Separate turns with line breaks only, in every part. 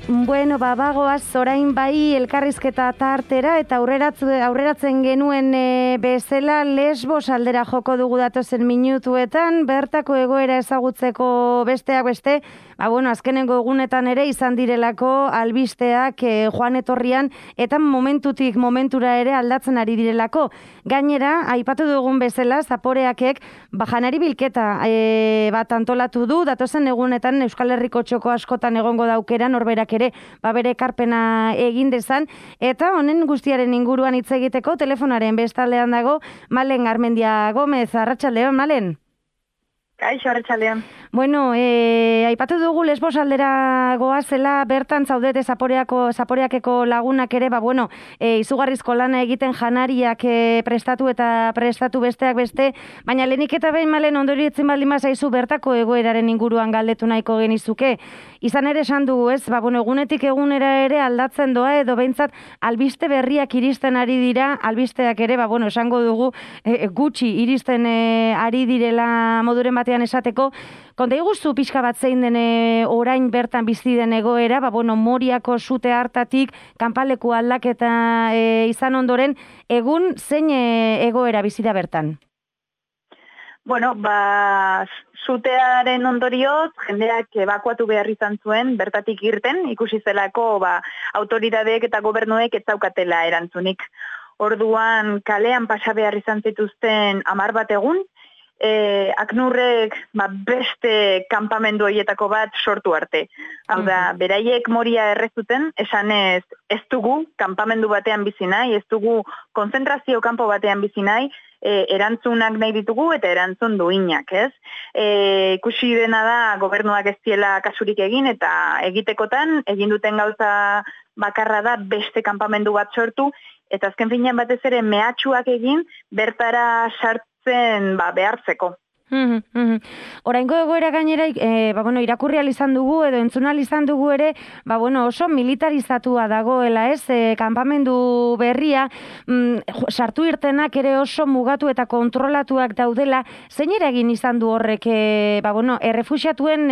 Bueno, bagoaz orain bai elkarrizketa tartera eta aurreratzen genuen bezala Lesbos aldera joko dugu datozen minutuetan, bertako egoera ezagutzeko besteak beste, azkenengo egunetan ere izan direlako albisteak joan etorrian eta momentutik momentura ere aldatzen ari direlako. Gainera, aipatu dugun bezala, Zaporeakek janari bilketa bat antolatu du, datozen egunetan Euskal Herriko txoko askotan egongo daukera norberak ere bere ekarpena egin dezan, eta honen guztiaren inguruan hitz egiteko telefonaren bestaldean dago Malen Garmendia Gomez. Arratsaldeon, Malen.
Kaixo, arratsaldeon.
Bueno, aipatu dugu Lesbos aldera goazela, bertan zaudete Zaporeakeko lagunak ere, izugarrizko lana egiten janariak prestatu besteak beste, baina lehenik eta behin Malen ondorietzen baldin bazaizu bertako egoeraren inguruan galdetu nahiko genizuke. Izan ere esan dugu, ez? Egunetik egunera ere aldatzen doa edo behintzat albiste berriak iristen ari dira, albisteak ere, esango dugu gutxi iristen ari direla moduren batean esateko. Konta iguzu pixka bat zein den orain bertan bizi den egoera, Moriako sute hartatik kanpaleku aldaketa izan ondoren, egun zein egoera bizi da bertan?
Sutearen ondorioz, jendeak ebakuatu behar izan zuen, bertatik irten, ikusi zelako autoritateek eta gobernuek ez daukatela erantzunik. Orduan, kalean pasa behar izan zituzten 10 bat egun, Aknurrek beste kanpamendu horietako bat sortu arte. Hau da, beraiek Moria errezuten, esanez ez dugu kanpamendu batean bizi nahi, ez dugu konzentrazio kanpo batean bizi nahi, erantzunak nahi ditugu eta erantzun duinak, ez? Ikusi dena da gobernuak ez diela kasurik egin eta egitekotan egin duten gauza bakarra da beste kanpamendu bat sortu eta azken finean batez ere mehatxuak egin bertara sartzen behartzeko.
Oraingo egoera gainera irakurri ahal izan dugu edo entzun ahal izan dugu ere oso militarizatua dagoela, ez? Kanpamendu berria sartu irtenak ere oso mugatu eta kontrolatuak daudela. Zein eragin izan du horrek errefuxiatuen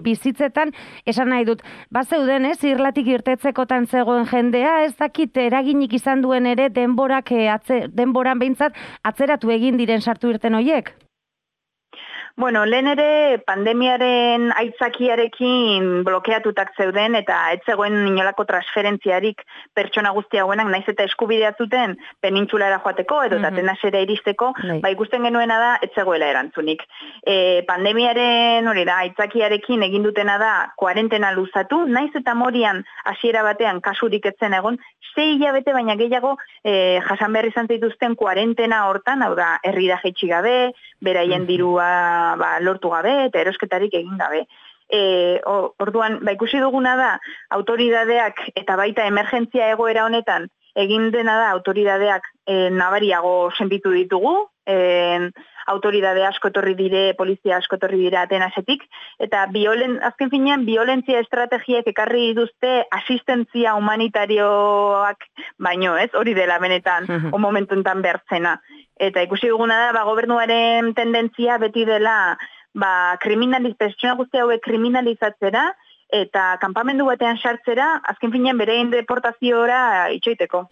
bizitzetan, esan nahi dut, bazeuden, ez? Irlatik irtetzekotan zegoen jendea, ez dakit eraginik izan duen ere denboran behintzat atzeratu egin diren sartu irten horiek?
Lehen ere pandemiaren aitzakiarekin blokeatutak zeuden eta ez zegoen inolako transferentziarik pertsona guzti hauenak, naiz eta eskubidea zuten penintsulara joateko edo Atenasera iristeko, ikusten genuena da ez zegoela erantzunik. Pandemiaren aitzakiarekin egin dutena da kuarentena luzatu, naiz eta Morian hasiera batean kasurik ez zen egon, 6 hilabete baina gehiago jasan behar izan zituzten kuarentena hortan, hau da, herrira jaitsi gabe, beraien dirua lortu gabe eta erosketarik egin gabe. Orduan, ikusi duguna da, autoridadeak eta baita emergentzia egoera honetan egin dena da autoridadeak nabariago senditu ditugu, autoridade asko etorri dire, polizia asko etorri dire Atenasetik, eta azken finean violentzia estrategiek ekarri dituzte asistentzia humanitarioak baino, ez? Hori dela benetan, momentuntan bertzena. Eta ikusi duguna da, gobernuaren tendentzia beti dela pertsona guzti hauek kriminalizatzera eta kanpamendu batean sartzera, azken finean berein deportaziora itxoiteko.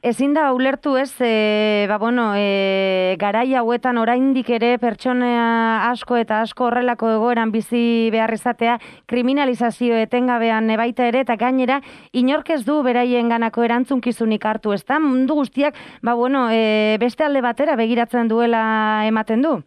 Ezin da ulertu, ez, garai hauetan oraindik ere pertsona asko eta asko horrelako egoeran bizi behar izatea kriminalizazio etengabean baita ere, eta gainera inork ez du beraien ganako erantzunkizunik hartu, ez da? Mundu guztiak, beste alde batera begiratzen duela ematen du?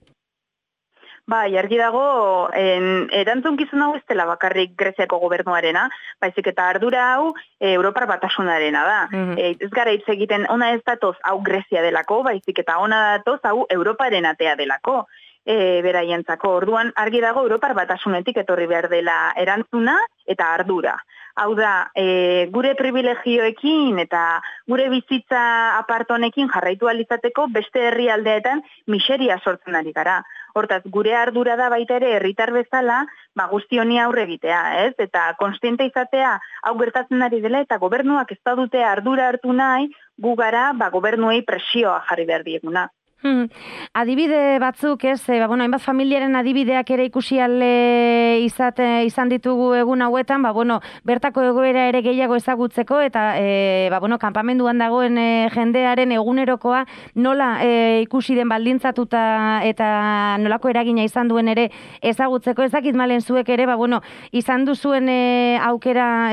Argi dago, erantzunkizun hau ez dela bakarrik Greziako gobernuarena, baizik eta ardura hau Europar Batasunarena da. Ez gara hitz egiten, ona ez datoz hau Grezia delako, baizik eta ona datoz hau Europaren atea delako beraientzako. Orduan, argi dago Europar Batasunetik etorri behar dela erantzuna eta ardura. Hau da, gure privilegioekin eta gure bizitza apartonekin jarraitu alizateko beste herrialdeetan miseria sortzen ari gara. Hortaz, gure ardura da baita ere herritar bezala, guzti honi aurre egitea, ez? Eta konstiente izatea hau gertatzen ari dela eta gobernuak ez dute ardura hartu nahi, gu gara gobernuei presioa jarri behar dieguna.
Adibide batzuk, ez, bueno, hainbat familiaren adibideak ere ikusi izan ditugu egun hauetan, bueno, bertako egoera ere gehiago ezagutzeko eta bueno, kanpamenduan dagoen jendearen egunerokoa nola ikusi den baldintzatuta eta nolako eragina izan duen ere ezagutzeko. Ez dakit Malen zuek ere, bueno, izan duzuen aukera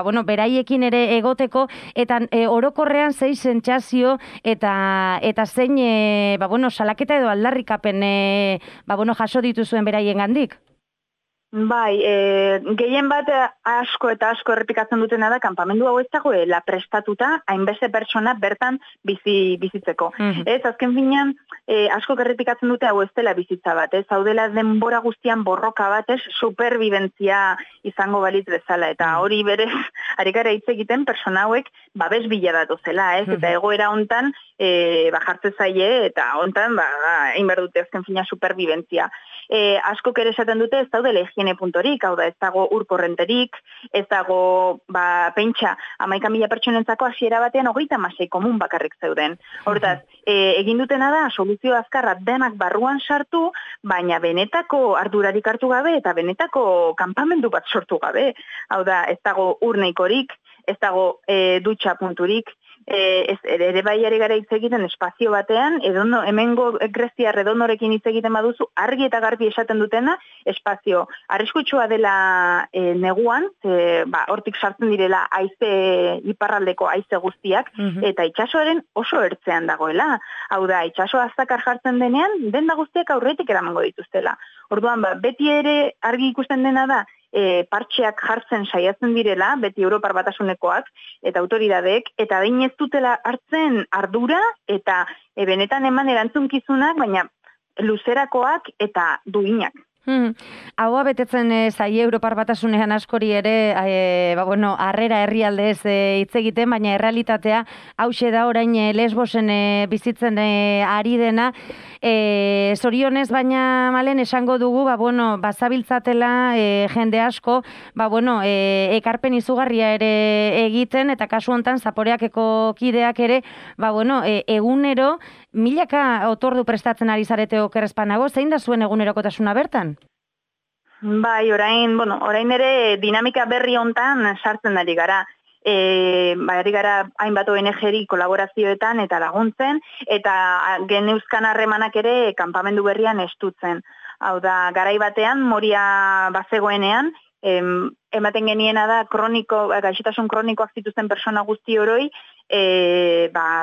bueno, beraiekin ere egoteko eta orokorrean zein sentsazio eta zein bueno, salaketa edo aldarrikapen bueno, jaso dituzuen beraiengandik.
Bai, gehien bat asko eta asko errepikatzen dutena da, kanpamendu hau ez dagoela prestatuta hainbeste pertsona bertan bizitzeko. Ez, azken finean, asko errepikatzen dute hau ez dela bizitza bat, ez, hau dela denbora guztian borroka bat, ez, superbibentzia izango balitz bezala, eta hori berez, harikara hitz egiten persona hauek babes bila datuzela, ez, eta egoera hontan, jartze zaie, eta hontan, egin behar dute azken finean superbibentzia. Asko ere esaten dute ez daudela higiene puntorik, hau da ez dago urkorrenterik, ez dago pentsa 11.000 pertsonentzako hasiera batean 36 komun bakarrik zeuden. Hortaz, egin dutena da soluzio azkarra denak barruan sartu, baina benetako ardurarik hartu gabe eta benetako kanpamendu bat sortu gabe. Hau da, ez dago urneikorik, ez dago dutxa punturik, ere baiari gara hitz egiten espazio batean, hemengo Grezia Redonorekin hitz egiten baduzu, argi eta garbi esaten dutena, espazio arriskutsua dela neguan, hortik sartzen direla iparraldeko haize guztiak, eta itsasoaren oso ertzean dagoela. Hau da, itsaso aztakar jartzen denean, denda guztiak aurretik eramango dituztela. Orduan, beti ere argi ikusten dena da, partxeak jartzen saiatzen direla, beti Europar Batasunekoak eta autoridadeek, eta behin ez dutela hartzen ardura eta benetan eman erantzunkizunak, baina luzerakoak eta duinak.
Haua betetzen zaie Europar Batasunean askori ere, bueno, harrera herrialdez hitz egiten, baina errealitatea hauxe da orain Lesbosen bizitzen ari dena. Zorionez, baina Malen esango dugu, bueno, bazabiltzatela jende asko, bueno, ekarpen izugarria ere egiten, eta kasu hontan Zaporeakeko kideak ere, bueno, egunero milaka otordu prestatzen ari zarete okerrezpanago, zein da zuen egunerokotasuna bertan?
Bai, orain ere dinamika berri hontan sartzen ari gara. Ari gara hainbat ONG-ri kolaborazioetan eta laguntzen, eta geneuzkan harremanak ere kanpamendu berrian estutzen. Hau da, garai batean, Moria bazegoenean, ematen geniena da gaixotasun kronikoak zituzten persona guzti oroi,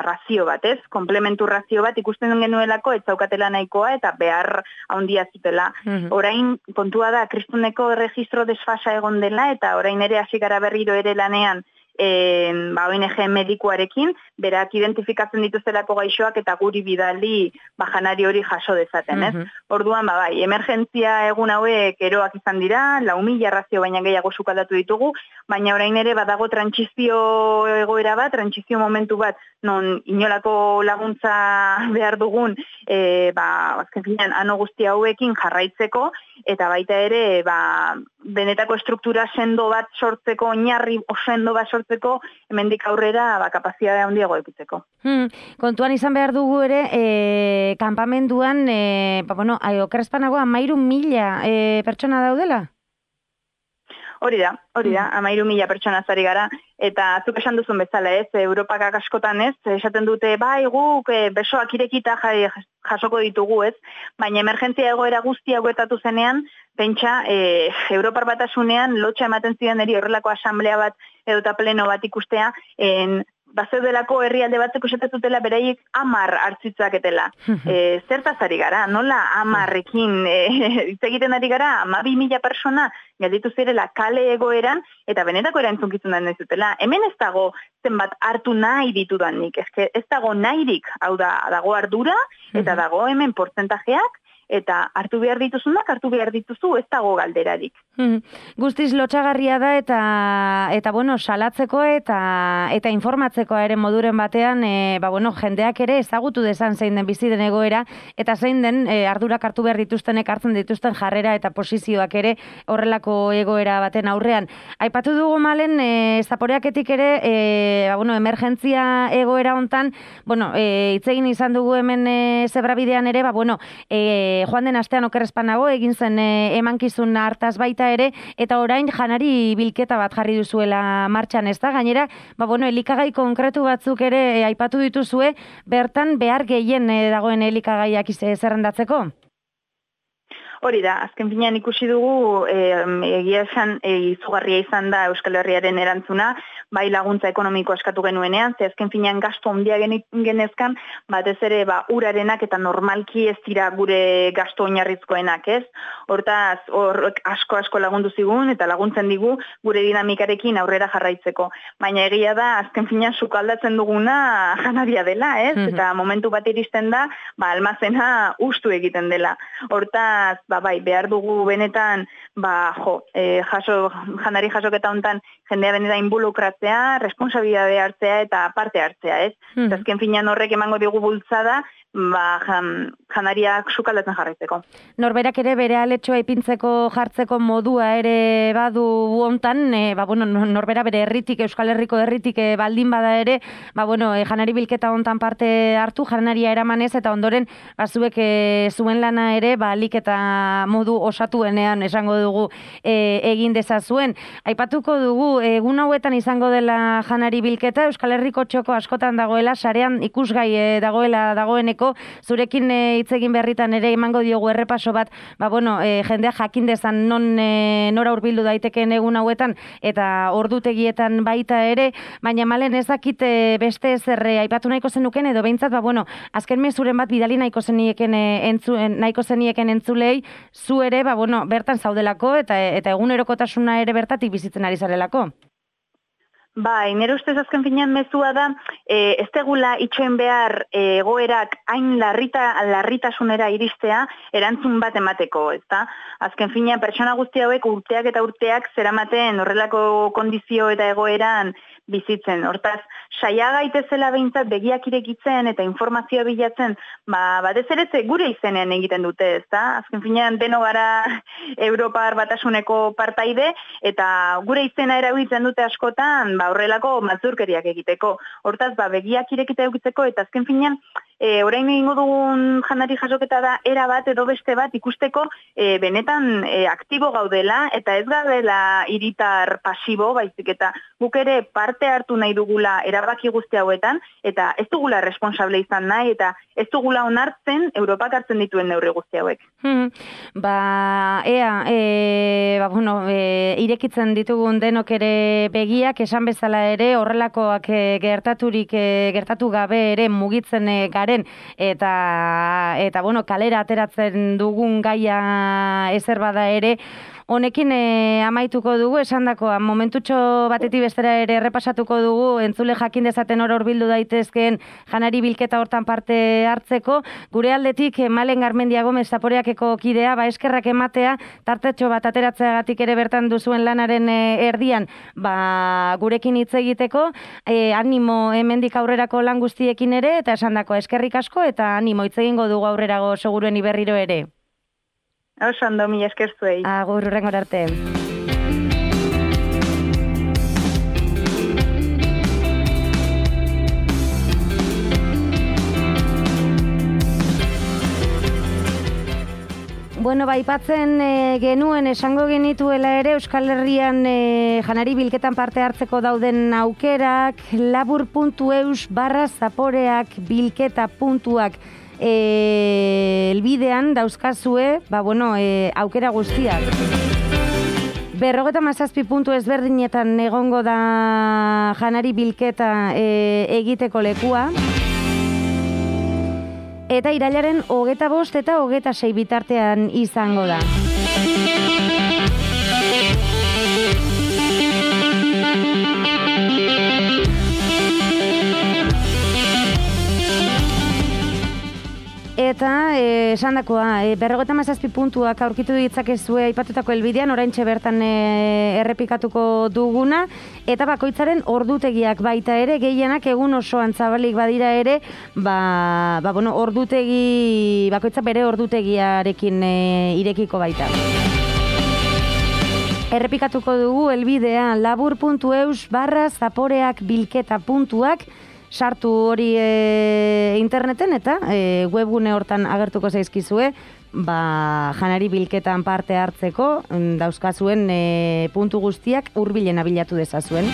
razio bat, ez? Komplementu razio bat ikusten genuelako ez zaukatela nahikoa eta behar handia zutela. Orain kontua da kristuneko registro desfasa egon dela eta orain ere hasi gara berriro ere lanean ONG medikuarekin, berak identifikatzen dituztelako gaixoak eta guri bidali janari hori jaso dezaten, ez? Orduan, bai, emergentzia egun hauek eroak izan dira, 4.000 razio baina gehiago sukaldatu ditugu, baina orain ere badago trantsizio egoera bat, trantsizio momentu bat, non inolako laguntza behar dugun, azken finean, ano guzti hauekin jarraitzeko, eta baita ere, benetako estruktura sendo bat sortzeko, oinarri sendo bat sortzeko, hemendik aurrera kapazitatea handiago edukitzeko.
Kontuan izan behar dugu ere, kanpamenduan, bueno, okerrezpanago 13.000 pertsona daudela?
Hori da, 13.000 pertsona zari gara, eta zuk esan duzun bezala ez, Europak askotan ez, esaten dute, guk besoak irekita jasoko ditugu ez, baina emergentzia egoera guzti hauetatu zenean, pentsa, Europar Batasunean lotxa ematen ziren eri horrelako asamblea bat edo eta pleno bat ikustea, bazeudelako herrialde batzeko esatetutela beraiek 10 hartzitzaketela. Zertaz ari gara, nola 10ekin hitz egiten ari gara, 12.000 persona gelditu zirela kale egoeran, eta benetako erantzunkizunan ez dutela. Hemen ez dago zenbat hartu nahi ditudanik, ez dago nahirik, hau da, dago ardura, eta dago hemen portzentajeak, eta hartu behar dituzunak, hartu behar dituzu, ez dago galderarik.
Guztiz lotxagarria da eta bueno, salatzeko eta informatzeko ere moduren batean, jendeak ere ezagutu dezan zein den bizi den egoera eta zein den ardurak hartu behar dituztenek hartzen dituzten jarrera eta posizioak ere horrelako egoera baten aurrean. Aipatu dugu Malen, zaporeaketik ere, emergentzia egoera hontan, hitz egin izan dugu hemen zebrabidean ere, joan den astean okerrezpan nago, egin zen emankizun hartaz baita ere, eta orain janari bilketa bat jarri duzuela martxan, ez da? Gainera, elikagai konkretu batzuk ere aipatu dituzue, bertan behar gehien dagoen elikagaiak zerrendatzeko?
Hori da, azken finean ikusi dugu, egia esan, izugarria izan da Euskal Herriaren erantzuna, bai laguntza ekonomiko askatu genuenean, ze azken finean gastu handia genezkan, batez ere urarenak eta normalki ez dira gure gastu oinarrizkoenak, ez? Hortaz, asko lagundu zigun eta laguntzen digu gure dinamikarekin aurrera jarraitzeko. Baina egia da, azken finean sukaldatzen duguna janaria dela, ez? Eta momentu bat iristen da, almazena ustu egiten dela. Hortaz, behar dugu benetan, janari jasoketa hontan jendea benetan involukratzea, responsabilidade hartzea eta parte hartzea, ez? Azken finean horrek emango digu bultzada, janariak sukaldatzen jarraitzeko.
Norberak ere bere aletxoa ipintzeko jartzeko modua ere badu hontan, norbera bere herritik, Euskal Herriko herritik baldin bada ere, janari bilketa hontan parte hartu, janaria eramanez eta ondoren zuek zuen lana ere, alik eta modu osatuenean esango dugu egin dezazuen. Aipatuko dugu, egun hauetan izango dela janari bilketa, Euskal Herriko txoko askotan dagoela, sarean ikusgai dagoeneko, zurekin hitz egin berritan ere emango diogu errepaso bat, jendea jakin dezan nora hurbildu daiteken egun hauetan eta ordutegietan baita ere, baina Malen ez dakit beste ezer aipatu nahiko zenuken edo behintzat, azken mezuren bat bidali nahiko zenieken entzulei, zu ere, bertan zaudelako eta egunerokotasuna ere bertatik bizitzen ari zarelako.
Nire ustez azken finean mezua da, ez tegula itxoen behar egoerak hain larritasunera iristea erantzun bat emateko, ezta? Azken finean pertsona guzti hauek urteak eta urteak zeramaten horrelako kondizio eta egoeran bizitzen. Hortaz, saia gaitezela behintzat begiak irekitzen eta informazioa bilatzen, batez ere gure izenean egiten dute, ezta? Azken finean deno gara Europar Batasuneko partaide eta gure izena erabiltzen dute askotan, horrelako mazurkeriak egiteko. Hortaz, begiak irekita edukitzeko eta azken finean, orain egingo dugun janari jasoketa da era bat edo beste bat ikusteko benetan aktibo gaudela eta ez gaudela hiritar pasibo, baizik eta guk ere parte hartu nahi dugula erabaki guzti hauetan eta ez dugula responsable izan nahi eta ez dugula onartzen Europak hartzen dituen neurri guzti hauek.
Irekitzen ditugun denok ere begiak, esan bezala ere horrelakoak gertatu gabe ere mugitzen garen eta kalera ateratzen dugun gaia ezer bada ere, honekin amaituko dugu, esandakoa momentutxo batetik bestera ere errepasatuko dugu, entzule jakin dezaten hor bildu daitezkeen janari bilketa hortan parte hartzeko. Gure aldetik Malen Garmendia Gomez Zaporeakeko kidea, eskerrak ematea, tartetxo bat ateratzeagatik ere bertan duzuen lanaren erdian, gurekin hitz egiteko, animo hemendik aurrerako lan guztiekin ere, eta esandakoa eskerrik asko, eta animo hitz egingo dugu aurrerago seguruen iberriro ere.
Oso ondo, mila esker zuei.
Agur, hurrengor arte. Aipatzen genuen esango genituela ere Euskal Herrian janari bilketan parte hartzeko dauden aukerak labur.eus/zaporeak bilketa puntuak elbidean dauzkazue, aukera guztiak. 57 puntu ezberdinetan egongo da janari bilketa egiteko lekua. Eta irailaren 25 eta 26 bitartean izango da. Eta esandakoa, 57 puntuak aurkitu ditzakezue aipatutako helbidean, oraintxe bertan errepikatuko duguna, eta bakoitzaren ordutegiak baita ere, gehienak egun osoan zabalik badira ere, ordutegi, bakoitza bere ordutegiarekin irekiko baita. Errepikatuko dugu helbidea labur.eus/zaporeak-bilketa-puntuak, sartu hori interneten eta webgune hortan agertuko zaizkizue, janari bilketan parte hartzeko dauzkazuen puntu guztiak hurbilena bilatu dezazuen.